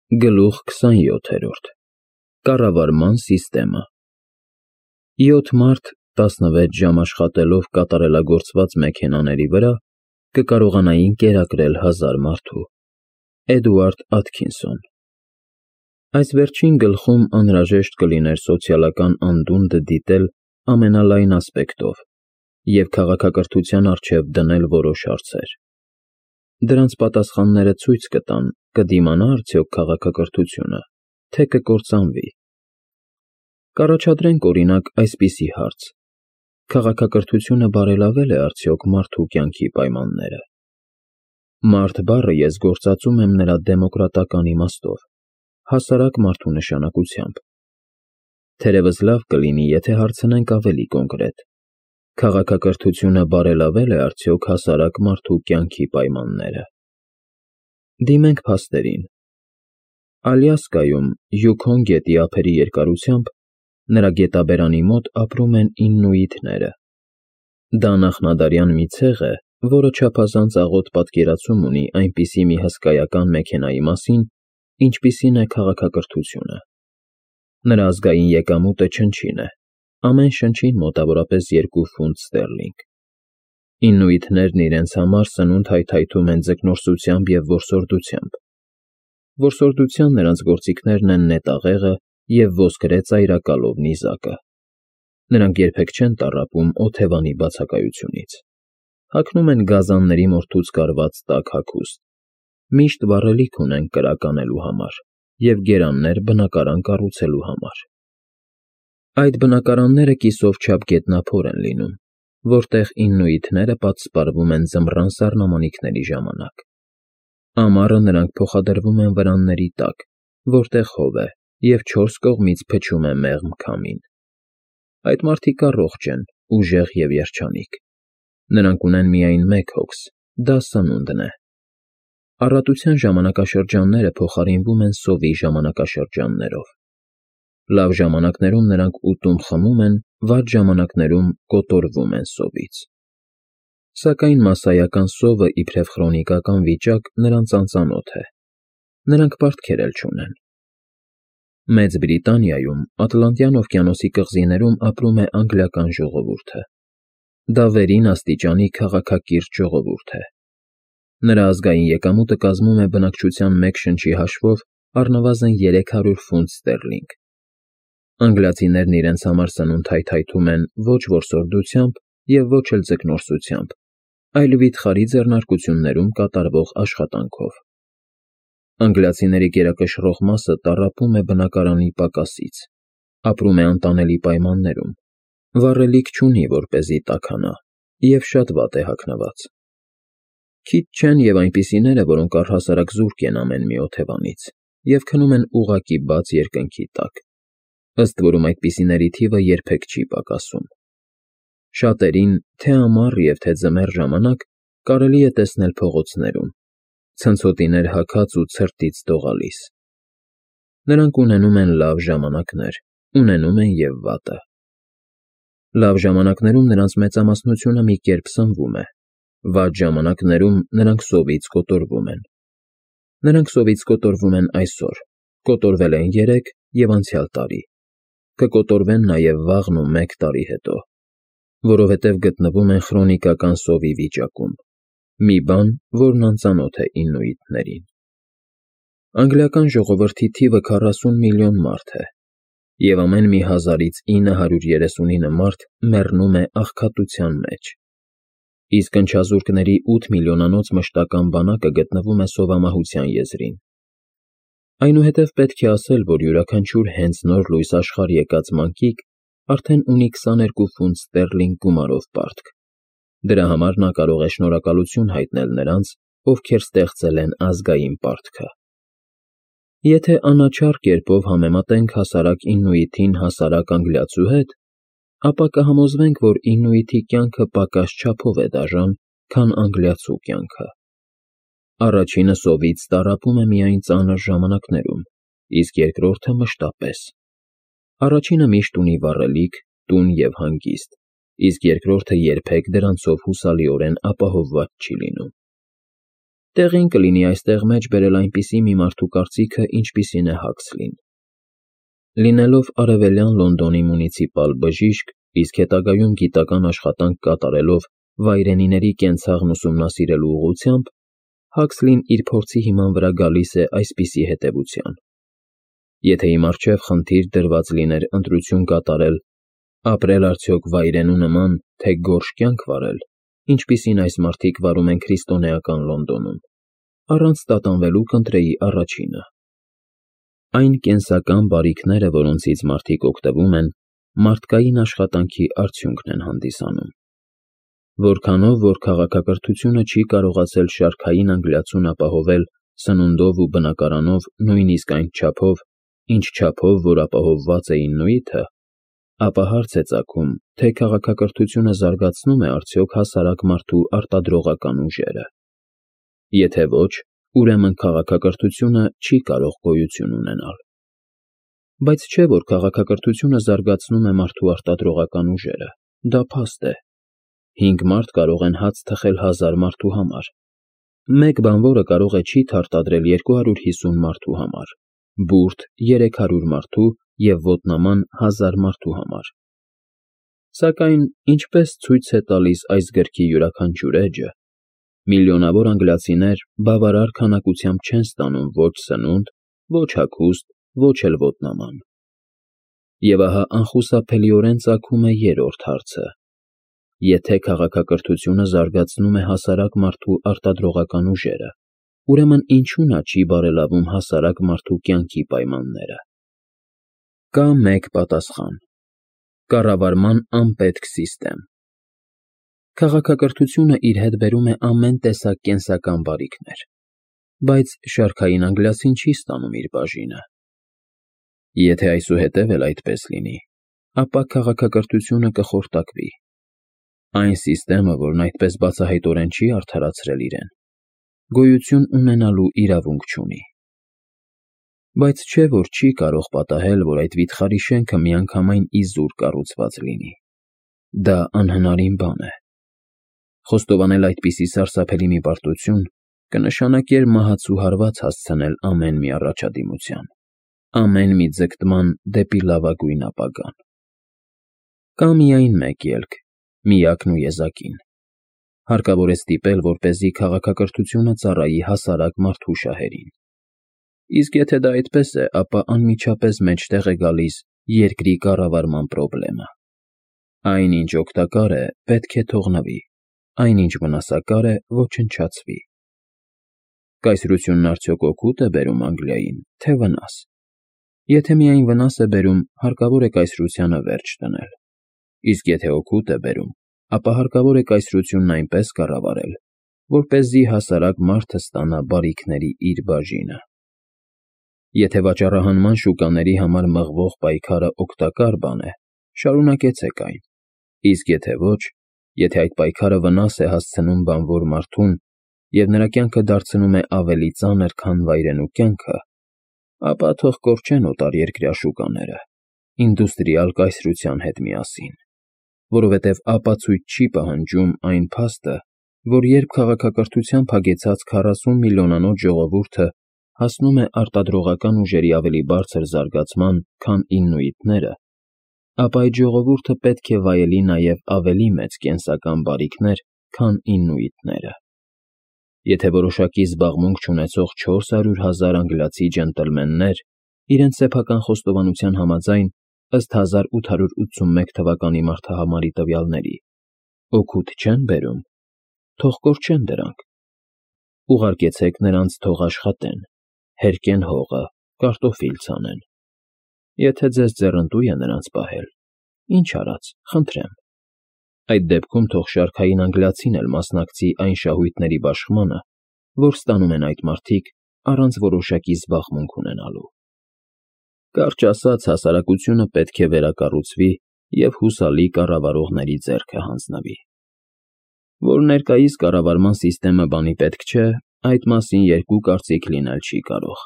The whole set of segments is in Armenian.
Գլուխ 27 Կառավարման սիստեմը 7 մարդ 16 ժամ աշխատելով կատարելագործված մեքենաների վրա կկարողանային կերակրել 1000 մարդու։ Էդուարդ Աթքինսոն Այս վերջին գլխում անհրաժեշտ կլիներ սոցիալական անդունդը դիտել ամենալայն ասպեկտով և քաղաքակրթության առջև դնել որոշ հարցեր։ Դրանց պատասխանները ցույց կտան, կդիմանա արդյոք քաղաքակրթությունը, թե կկործանվի։ Կառաջադրենք օրինակ այսպիսի հարց. քաղաքակրթությունը բարելավել է արդյոք մարդու կյանքի պայմանները։ Մարդ բառը ես գործածում եմ նրա դեմոկրատական իմաստով, հասարակ մարդու նշանակությամբ։ Թերևս լավ կլինի, եթե հարցնենք ավելի կոնկրետ. քաղաքակրթությունը բարելավել է արդյոք հասարակ մարդու կյանքի պայմանները։ Դիմենք փաստերին։ Ալյասկայում, Յուքոն գետի ափերի երկարությամբ, նրա գետաբերանի մոտ ապրում են իննուիտները։ Դա նախնադարյան մի ցեղ է, որը չափազանց աղոտ պատկերացում ունի այնպիսի մի հսկայական մեքենայի մասին, ինչպիսին է քաղաքակրթությունը։ Նրա ազգային եկամուտը չնչին է, ամեն շնչին մոտավորապես 2 ֆունտ ստերլինգ։ Իննուիտներն իրենց համար սնունդ հայթայթում են ձկնորսությամբ և որսորդությամբ։ Որսորդության նրանց գործիքներն են նետաղեղը և ոսկրե ծայրակալով նիզակը։ Նրանք երբեք չեն տառապում օթևանի բացակայությունից։ Հագնում են գազանների մորթուց կարված տաք հագուստ։ Միշտ վառելիք ունեն կրակ անելու համար և գերաններ բնակարան կառուցելու համար։ Այդ բնակարանները կիսով չափ գետնափոր են լինում, որտեղ իննուիտները պատսպարվում են ձմռան սառնամանիքների ժամանակ։ Ամառը նրանք փոխադրվում են վրանների տակ, որտեղ հով է և 4 կողմից փչում է մեղմ քամին։ Այդ մարդիկ առողջ են, ուժեղ և երջանիկ։ Նրանք ունեն միայն մեկ հոգս, դա սնունդն է։ Առատության ժամանակաշրջանները փոխարինվում են սովի ժամանակաշրջաններով։ Լավ ժամանակներում նրանք ուտում-խմում են, վատ ժամանակներում կոտորվում են սովից։ Սակայն մասսայական սովը իբրև քրոնիկական վիճակ նրանց անծանոթ է։ Նրանք պարտքեր էլ չունեն։ Մեծ Բրիտանիայում, Ատլանտյան օվկիանոսի կղզիներում ապրում է անգլիական ժողովուրդը։ Դա վերին աստիճանի քաղաքակիրթ ժողովուրդ է։ Նրա ազգային եկամուտը կազմում է բնակչության մեկ շնչի հաշվով առնվազն 300 ֆունտ ստերլինգ։ Անգլիացիներն իրենց համար սնունդ հայթայթում են ոչ որսորդությամբ և ոչ էլ ձկնորսությամբ, այլ վիթխարի ձեռնարկություններում կատարվող աշխատանքով։ Անգլիացիների գերակշռող մասը տառապում է բնակարանի պակասից, ապրում է անտանելի պայմաններում, վառելիք չունի, որպեսզի տաքանա, և շատ վատ է հագնված։ Քիչ չեն և այնպիսիները, որոնք առհասարակ զուրկ են ամեն մի օթևանից և քնում են ուղղակի բաց երկնքի տակ, ըստ որում այդպիսիների թիվը երբեք չի պակասում։ Շատերին, թե ամառ և թե ձմեռ ժամանակ, կարելի է տեսնել փողոցներում, ցնցոտիներ հագած ու ցրտից դողալիս։ Նրանք ունենում են լավ ժամանակներ, ունենում են և վատը։ Լավ ժամանակներում նրանց մեծամասնությունը մի կերպ սնվում է, վատ ժամանակներում նրանք սովից կոտորվում են։ Նրանք սովից կոտորվում են այսօր, կոտորվել են երեկ և անցյալ տարի, կկոտորվեն նաև վաղն ու 1 տարի հետո, որովհետև գտնվում են քրոնիկական սովի վիճակում, մի բան, որն անծանոթ է իննուիտներին։ Անգլիական ժողովրդի թիվը 40 միլիոն մարդ է, և ամեն մի 1000-ից 939 մարդ մեռնում է աղքատության մեջ։ Իսկ ընչազուրկների 8 միլիոնանոց մշտական բանակը գտնվում է սովամահության եզրին։ Այնուհետև պետք է ասել, որ յուրաքանչյուր հենց նոր լույս աշխարհ եկած մանկիկ արդեն ունի 22 ֆունտ ստերլինգ գումարով պարտք։ Դրա համար նա կարող է շնորհակալություն հայտնել նրանց, ովքեր ստեղծել են ազգային պարտքը։ Եթե անաչառ կերպով համեմատենք հասարակ իննուիտին հասարակ անգլիացու հետ, ապա կհամոզվենք, որ իննուիտի կյանքը պակաս չափով է դաժան, քան անգլիացու կյանքը։ Առաջինը սովից տառապում է միայն ծանր ժամանակներում, իսկ երկրորդը մշտապես։ Առաջինը միշտ ունի վառելիք, տուն և հանգիստ, իսկ երկրորդը երբեք դրանցով հուսալիորեն ապահովված չի լինում։ Տեղին կլինի այստեղ մեջ բերել այնպիսի մի մարդու կարծիքը, ինչպիսին է Հաքսլին։ Լինելով արևելյան Լոնդոնի մունիցիպալ բժիշկ, իսկ հետագայում գիտական աշխատանք կատարելով վայրենիների կենցաղն ուսումնասիրելու ուղղությամբ, Հաքսլին իր փորձի հիման վրա գալիս է այսպիսի հետևության. եթե իմ առջև խնդիր դրված լիներ ընտրություն կատարել, ապրել արդյոք վայրենու նման, թե գորշ կյանք վարել, ինչպիսին այս մարդիկ վարում են քրիստոնեական Լոնդոնում, առանց տատանվելու կընտրեի առաջինը։ Այն կենսական բարիքները, որոնցից մարդիկ օգտվում են, մարդկային աշխատանքի արդյունքն են հանդիսանում։ Որքանով որ քաղաքակրթությունը չի կարողացել շարքային անգլիացուն ապահովել սնունդով ու բնակարանով նույնիսկ այն չափով, ինչ չափով որ ապահովված է Իննուիտը, ապա հարց է ծագում, թե քաղաքակրթությունը զարգացնում է արդյոք հասարակ մարդու արտադրողական ուժերը։ Եթե ոչ, ուրեմն քաղաքակրթությունը չի կարող գոյություն ունենալ։ Բայց չէ որ քաղաքակրթությունը զարգացնում է մարդու արտադրողական ուժերը, դա փաստ է։ 5 մարդ կարող են հաց թխել 1000 մարդու համար։ Մեկ բանվորը կարող է չիթ արտադրել 250 մարդու համար, բուրդ 300 մարդու և ոտնաման 1000 մարդու համար։ Սակայն ինչպես ցույց է տալիս այս գրքի յուրաքանչյուր էջը, միլիոնավոր անգլիացիներ բավարար քանակությամբ չեն ստանում ոչ սնունդ, ոչ հագուստ, ոչ էլ ոտնաման։ Եվ ահա անխուսափելիորեն ծագում է երրորդ հարցը. եթե քաղաքակրթությունը զարգացնում է հասարակ մարդու արտադրողական ուժերը, ուրեմն ինչու նա չի բարելավում հասարակ մարդու կյանքի պայմանները։ Կա մեկ պատասխան. կառավարման անպետք սիստեմ։ Քաղաքակրթությունը իր հետ բերում է ամեն տեսակ կենսական բարիքներ, բայց շարքային անգլիացին չի ստանում իր բաժինը։ Եթե այսուհետև էլ այդպես լինի, ապա քաղաքակրթությունը կխորտակվի։ Այն սիստեմը, որն այդպես բացահայտորեն չի արդարացրել իրեն, գոյություն ունենալու իրավունք չունի։ Բայց չէ որ չի կարող պատահել, որ այդ վիթխարի շենքը միանգամայն իզուր կառուցված լինի։ Դա անհնարին բան է։ Խոստովանել այդպիսի սարսափելի մի պարտություն կնշանակեր մահացու հարված հասցնել ամեն մի առաջադիմության, ամեն մի ձգտման դեպի լավագույն ապագան։ Կա միայն մեկ ելք, միակն ու եզակին։ Հարկավոր է ստիպել, որպեսզի քաղաքակրթությունը ծառայի հասարակ մարդու շահերին։ Իսկ եթե դա այդպես է, ապա անմիջապես մեջտեղ է գալիս երկրի կառավարման պրոբլեմը։ Այնինչ օգտակար է, պետք է թողնվի, այնինչ վնասակար է, ոչնչացվի։ Կայսրությունն արդյոք օգուտ է բերում Անգլիային, թե վնաս։ Եթե միայն վնաս է բերում, հարկավոր է կայսրությանը վերջ դնել։ Իսկ եթե օգուտ է բերում, ապա հարկավոր է կայսրությունն այնպես կառավարել, որպեսզի հասարակ մարդը ստանա բարիքների իր բաժինը։ Եթե վաճառահանման շուկաների համար մղվող պայքարը օգտակար բան է, շարունակեցեք այն, իսկ եթե ոչ, եթե այդ պայքարը վնաս է հասցնում բանվոր մարդուն և նրա կյանքը դարձնում է ավելի ծանր, քան վայրենու կյանքը, ապա թող կորչեն օտարերկրյա շուկաները, ինդուստրիալ կայսրության հետ միասին, որովհետև ապացույց չի պահանջում այն փաստը, որ երբ քաղաքակրթությամբ հագեցած 40 միլիոնանոց ժողովուրդը հասնում է արտադրողական ուժերի ավելի բարձր զարգացման, քան իննուիտները, ապա այդ ժողովուրդը պետք է վայելի նաև ավելի մեծ կենսական բարիքներ, քան իննուիտները։ Եթե որոշակի զբաղմունք չունեցող 400,000 անգլիացի ջենտլմեններ իրենց սեփական խոստովանության համաձայն ըստ 1881 թվականի մարդահամարի տվյալների օգուտ չեն բերում, թող կորչեն դրանք։ Ուղարկեցեք նրանց թող աշխատեն, հերկեն հողը, կարտոֆիլ ցանեն։ Եթե ձեզ ձեռնտու է նրանց պահել, ինչ արած, խնդրեմ։ Այդ դեպքում թող շարքային անգլիացին էլ մասնակցի այն շահույթների բաշխմանը, որ ստանում են այդ մարդիկ առանց որոշակի զբաղմունք ունենալու։ Կարճ ասած, հասարակությունը պետք է վերակառուցվի և հուսալի կառավարողների ձեռքը հանձնվի։ Որ ներկայիս կառավարման սիստեմը բանի պետք չէ, այդ մասին երկու կարծիք լինել չի կարող։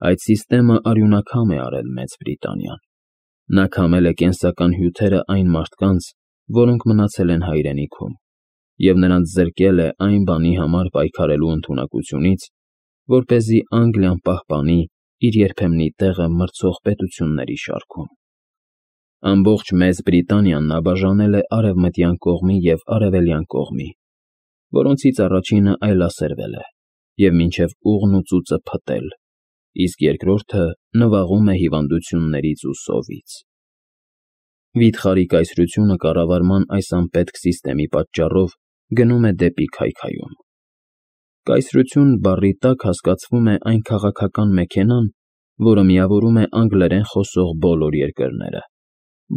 Այդ սիստեմը արյունակամ է արել Մեծ Բրիտանիան։ Նա քամել է կենսական հյութերը այն մարդկանց, որոնք մնացել են հայրենիքում, և նրանց զրկել է այն բանի համար պայքարելու ընդունակությունից, որպեսզի Անգլիան պահպանի իր երբեմնի տեղը մրցող պետությունների շարքում։ Ամբողջ Մեծ Բրիտանիան նա բաժանել է արևմտյան կողմի և արևելյան կողմի, որոնցից առաջինը այլասերվել է և մինչև ուղն ու ծուծը փտել, իսկ երկրորդը նվաղում է հիվանդություններից ու սովից։ Վիթխարի կայսրությունը կառավարման այս անպետք սիստեմի պատճառով գնում է դեպի քայքայում։ Կայսրություն բառի տակ հասկացվում է այն քաղաքական մեքենան, որը միավորում է անգլերեն խոսող բոլոր երկրները,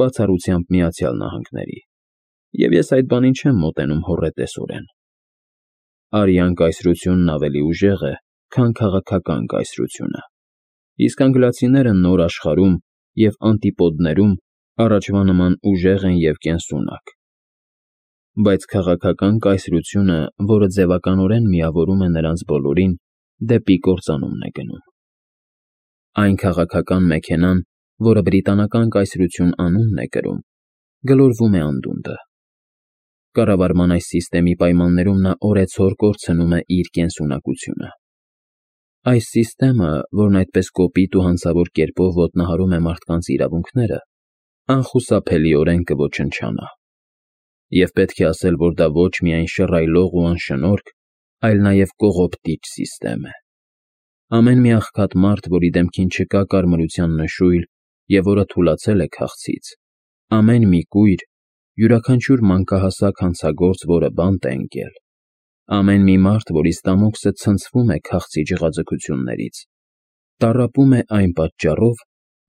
բացառությամբ Միացյալ Նահանգների, և ես այդ բանին չեմ մոտենում հոռետեսորեն։ Արյան կայսրությունն ավելի ուժեղ է, քան քաղաքական կայսրությունը, իսկ անգլիացիները նոր աշխարհում և անտիպոդներում առաջվա նման ուժեղ են և կենսունակ։ Բայց քաղաքական կայսրությունը, որը ձևականորեն միավորում է նրանց բոլորին, դեպի կործանումն է գնում։ Այն քաղաքական մեքենան, որը բրիտանական կայսրություն անունն է կրում, գլորվում է անդունդը։ Կառավարման այս սիստեմի պայմաններում նա օրեցօր կորցնում է իր կենսունակությունը։ Այս սիստեմը, որն այդպես կոպիտ ու հանցավոր կերպով ոտնահարում է մարդկանց իրավունքները, անխուսափելիորեն կոչնչանա։ Եվ պետք է ասել, որ դա ոչ միայն շռայլող ու անշնորհք, այլ նաև կողոպտիչ սիստեմ է։ Ամեն մի աղքատ մարդ, որի դեմքին չկա կարմրության նշույլ և որը թուլացել է քաղցից, ամեն մի կույր, յուրաքանչյուր մանկահասակ հանցագործ, որը բանտ է ընկել, ամեն մի մարդ, որի ստամոքսը ցնցվում է քաղցի ջղաձգություններից, տառապում է այն պատճառով,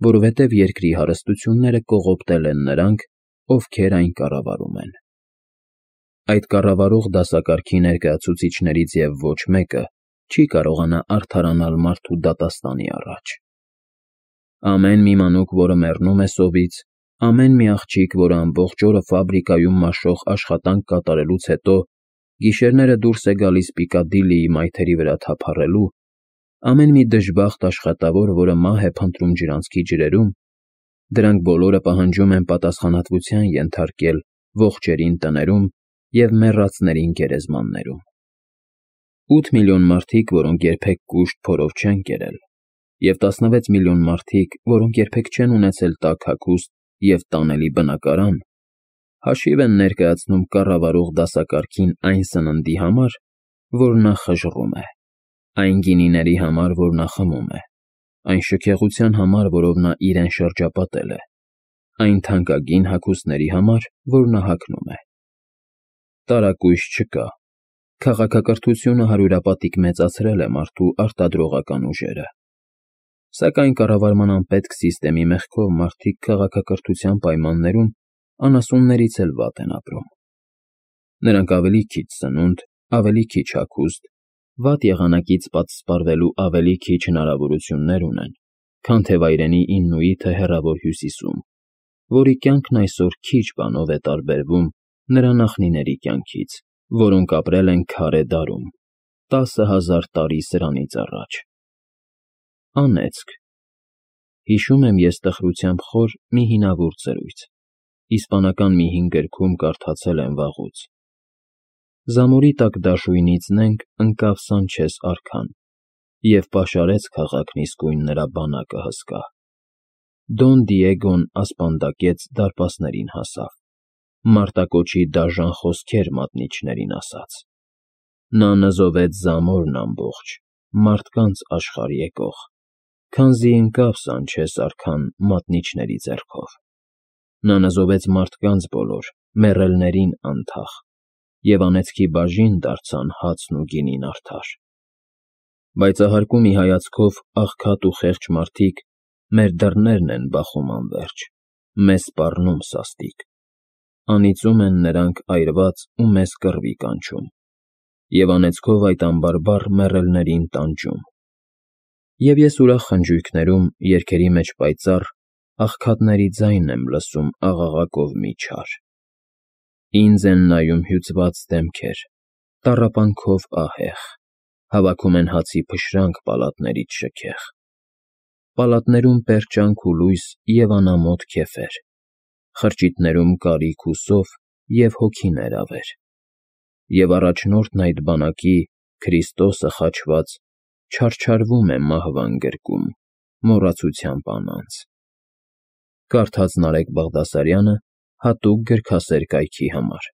որովհետև երկրի հարստությունները կողոպտել են նրանք, ովքեր այն կառավարում են։ Այդ կառավարող դասակարգի ներկայացուցիչներից և ոչ մեկը չի կարողանա արդարանալ մարդու դատաստանի առաջ։ Ամեն մի մանուկ, որը մեռնում է սովից, ամեն մի աղջիկ, որը ամբողջ օրը ֆաբրիկայում մաշող աշխատանք կատարելուց հետո գիշերները դուրս է գալիս Պիկադիլիի մայթերի վրա թափառելու, ամեն մի դժբախտ աշխատավոր, որը մահ է փնտրում ջրանցքի ջրերում, դրանք բոլորը պահանջում են պատասխանատվության ենթարկել ողջերին տներում և մեռածներին գերեզմաններում։ 8 միլիոն մարդիկ, որոնք երբեք կուշտ փորով չեն կերել, և 16 միլիոն մարդիկ, որոնք երբեք չեն ունեցել տաք հագուստ և տանելի բնակարան, հաշիվ են ներկայացնում կառավարող դասակարգին այն սննդի համար, որ նա խժռում է, այն գինիների համար, որ նա խմում է, այն շքեղության համար, որով նա իրեն շրջապատել է, այն թանկագին հագուստների համար, որ նա հագնում է։ Տարակույս չկա։ Քաղաքակրթությունը հարյուրապատիկ մեծացրել է մարդու արտադրողական ուժերը։ Սակայն կառավարման անպետք սիստեմի մեղքով մարդիկ քաղաքակրթության պայմաններում անասուններից էլ վատ են ապրում։ Նրանք ավելի քիչ սնունդ, ավելի քիչ հագուստ, վատ եղանակից պատսպարվելու ավելի քիչ հնարավորություններ ունեն, քան թե վայրենի Իննուիթը հեռավոր Հյուսիսում, որի կյանքն այսօր քիչ բանով է տարբերվում նրա նախնիների կյանքից, որոնք ապրել են քարե դարում, 10,000 տարի սրանից առաջ։ Անեծք։ Հիշում եմ ես տխրությամբ խոր մի հինավուրց զրույց, իսպանական մի հին գրքում կարդացել եմ վաղուց։ Զամորի տակ դաշույնից նենգ ընկավ Սանչես արքան և պաշարեց քաղաքն իսկույն նրա բանակը հսկա։ Դոն Դիեգոն ասպանդակեց դարպասներին հասավ, մարտակոչի դաժան խոսքեր մատնիչներին ասաց։ Նա նզովեց Զամորն ամբողջ, մարդկանց աշխարհ եկող, քանզի ընկավ Սանչես արքան մատնիչների ձեռքով։ Նա նզովեց մարդկանց բոլոր, մեռելներին անթաղ, և անեծքի բաժին դարձան հացն ու գինին արդար։ Բայց ահարկու մի հայացքով աղքատ ու խեղճ մարդիկ մեր դռներն են բախում անվերջ, մեզ սպառնում սաստիկ։ Անիծում են նրանք այրված ու մեզ կռվի կանչում, և անեծքով այդ անբարբար մեռելներին տանջում։ Եվ ես ուրախ խնջույքներում, երգերի մեջ պայծառ, աղքատների ձայն եմ լսում աղաղակով մի չար։ Ինձ են նայում հյուծված դեմքեր, տառապանքով ահեղ, հավաքում են հացի փշրանք պալատներից շքեղ։ Պալատներում պերճանք ու լույս և անամոթ քեֆեր, խրճիթներում կարիք ու սով և հոգիներ ավեր։ Եվ առաջնորդն այդ բանակի՝ Քրիստոսը խաչված, չարչարվում է մահվան գրկում, մոռացությամբ անանց։ Կարդաց Նարեկ Բաղդասարյանը հատուկ գրքասեր կայքի համար։